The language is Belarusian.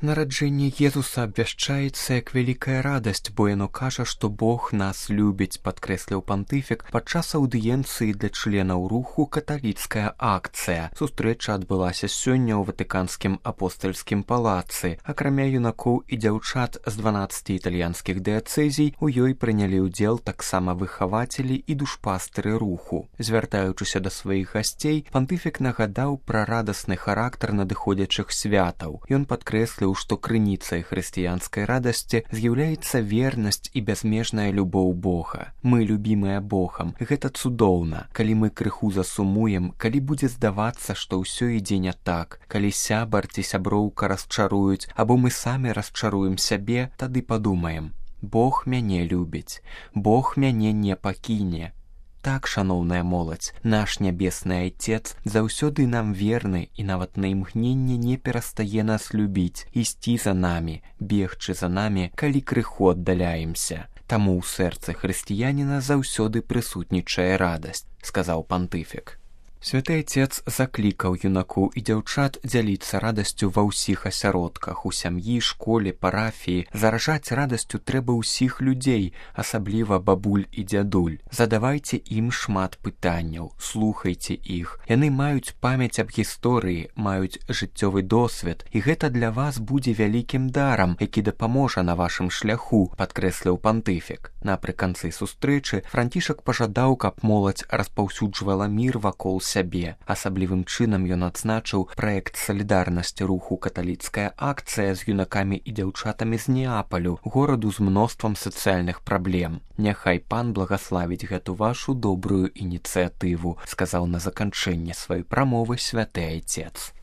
Нараджэнне Езуса абвяшчаецца як вялікая радасць, бо яно кажа, што Бог нас любіць, падкрэсліў пантыфік падчас аўдыенцыі для членаў руху «Каталіцкая акцыя». Сустрэча адбылася сёння ў Ватыканскім апостальскім палацы. Акрамя юнакоў і дзяўчат з 12 італьянскіх дыяцэзій, у ёй прынялі ўдзел таксама выхавацелі і душпастыры руху. Звяртаючыся да сваіх гасцей, пантыфік нагадаў пра радасны характар надыходзячых святаў. Ён падкрэсліў, што крыніцай хрысціянскай радасці з'яўляецца вернасць і бязмежная любоў Бога. Мы любімыя Богам. Гэта цудоўна. Калі мы крыху засумуем, калі будзе здавацца, што ўсё ідзе не так, калі сябар ці сяброўка расчаруюць, або мы самі расчаруем сябе, тады падумаем: Бог мяне любіць, Бог мяне не пакіне. Так, шаноўная моладзь, наш нябесны Айцец заўсёды нам верны і нават на імгненне не перастае нас любіць, ісці за намі, бегчы за намі, калі крыху аддаляемся. Таму ў сэрцы хрысціяніна заўсёды прысутнічае радасць, сказаў пантыфік. Святы Айцец заклікаў юнакоў і дзяўчат дзяліцца радасцю ва ўсіх асяродках, у сям'і, школе, парафіі. Заражаць радасцю трэба ўсіх людзей, асабліва бабуль і дзядуль. Задавайце ім шмат пытанняў, слухайце іх. Яны маюць памяць аб гісторыі, маюць жыццёвы досвед, і гэта для вас будзе вялікім дарам, які дапаможа на вашым шляху, падкрэсліў пантыфік. Напрыканцы сустрэчы Францішак пажадаў, каб моладзь распаўсюджвала мір вакол сябе. Асаблівым чынам ён адзначыў праект салідарнасці руху «Каталіцкая акцыя» з юнакамі і дзяўчатамі з Неапалю, гораду з мноствам сацыяльных праблем. Няхай пан благаславіць гэту вашу добрую ініцыятыву, сказаў на заканчэнне сваёй прамовы святы Айцец.